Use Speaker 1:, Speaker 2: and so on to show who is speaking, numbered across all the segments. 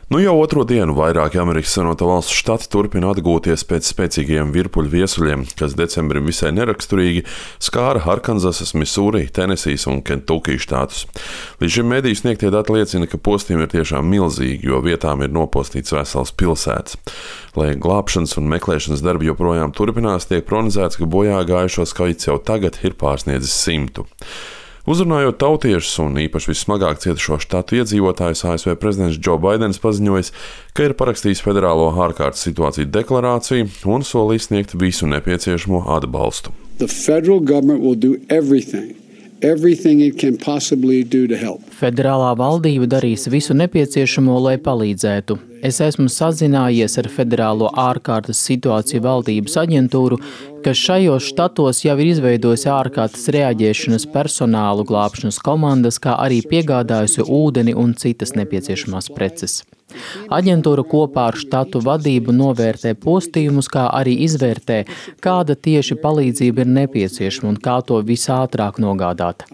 Speaker 1: Nu jau otro dienu vairāki Amerikas Savienoto Valstu štati turpina atgūties pēc spēcīgajiem virpuļu viesuļiem, kas decembrim visai neraksturīgi skāra Arkanzasas, Misūri, Tenesijas un Kentukijas štātus. Līdz šim mediju sniegtie dati liecina, ka postījumi ir tiešām milzīgi, jo vietām ir nopostīts vesels pilsētas. Lai glābšanas un meklēšanas darbi joprojām turpinās, tiek prognozēts, ka bojā gājušo skaits jau tagad ir pārsniedzis 100. Uzrunājot tautiešus un īpaši vissmagāk cietušo štatu iedzīvotājus, ASV prezidents Džo Baidens paziņojis, ka ir parakstījis federālo ārkārtas situāciju deklarāciju un solījis sniegt visu nepieciešamo atbalstu.
Speaker 2: Federālā valdība darīs visu nepieciešamo, lai palīdzētu. Es esmu sazinājies ar Federālo ārkārtas situāciju valdības aģentūru, kas šajos štatos jau ir izveidojusi ārkārtas reaģēšanas personālu, glābšanas komandas, kā arī piegādājusi ūdeni un citas nepieciešamās preces. Aģentūra kopā ar štatu vadību novērtē postījumus, kā arī izvērtē, kāda tieši palīdzība ir nepieciešama un kā to visātrāk nogādāt.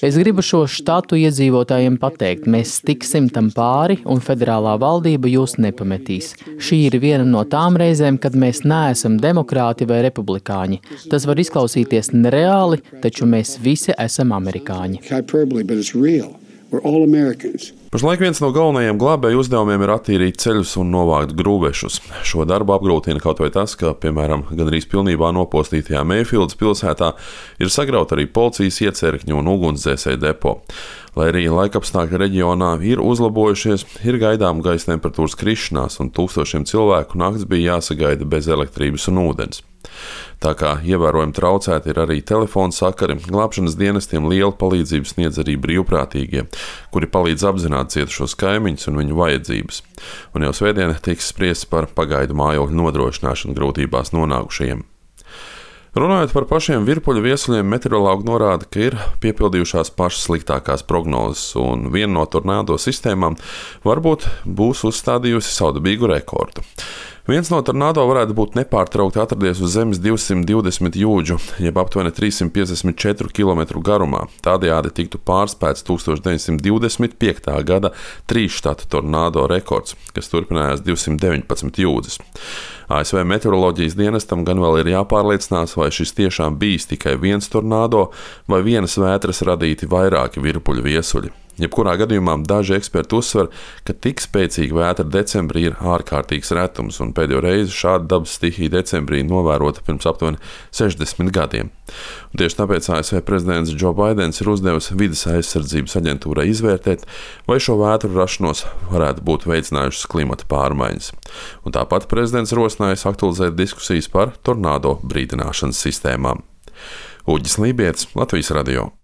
Speaker 2: Es gribu šo štatu iedzīvotājiem pateikt, mēs tiksim tam pāri un federālā valdība jūs nepametīs. Šī ir viena no tām reizēm, kad mēs neesam demokrāti vai republikāņi. Tas var izklausīties nereāli, taču mēs visi esam amerikāņi.
Speaker 1: Pašlaik viens no galvenajiem glābēju uzdevumiem ir attīrīt ceļus un novākt grūvešus. Šo darbu apgrūtina kaut vai tas, ka, piemēram, gandrīz pilnībā nopostītajā Mayfieldas pilsētā ir sagrauta arī policijas iecērkņu un ugunsdzēsēju depo. Lai arī laikapstākļi reģionā ir uzlabojušies, ir gaidām gaisa temperatūras krišanās un tūkstošiem cilvēku nakts bija jāsagaida bez elektrības un ūdens. Tā kā ievērojami traucēti ir arī telefona sakari, glābšanas dienestiem lielu palīdzību sniedz arī brīvprātīgie, kuri palīdz apzināt cietušos kaimiņus un viņu vajadzības. Un jau svētdien tiks spriests par pagaidu mājokļu nodrošināšanu grūtībās nonākušajiem. Runājot par pašiem virpuļu viesuļiem, meteorologi norāda, ka ir piepildījušās pašas sliktākās prognozes, un viena no tornādo sistēmām varbūt būs uzstādījusi savdabīgu rekordu. Viens no tornādo varētu būt nepārtraukti atradies uz zemes 220 jūdžu, jeb aptuveni 354 km garumā. Tādējādi tiktu pārspēts 1925. gada 3 štatu tornādo rekords, kas turpinājās 219 jūdzes. ASV meteoroloģijas dienestam gan vēl ir jāpārliecinās, vai šis tiešām bijis tikai viens tornādo vai vienas vētras radīti vairāki virpuļu viesuļi. Jebkurā gadījumā daži eksperti uzsver, ka tik spēcīga vētra decembrī ir ārkārtīgs retums, un pēdējo reizi šāda dabas stihija decembrī novērota pirms aptuveni 60 gadiem. Un tieši tāpēc ASV prezidents Džo Baidens ir uzdevis Vides aizsardzības aģentūrai izvērtēt, vai šo vētru rašanos varētu būt veicinājušas klimata pārmaiņas. Un tāpat prezidents rosinājis aktualizēt diskusijas par tornādo brīdināšanas sistēmām. Uģis Lībietis, Latvijas radio.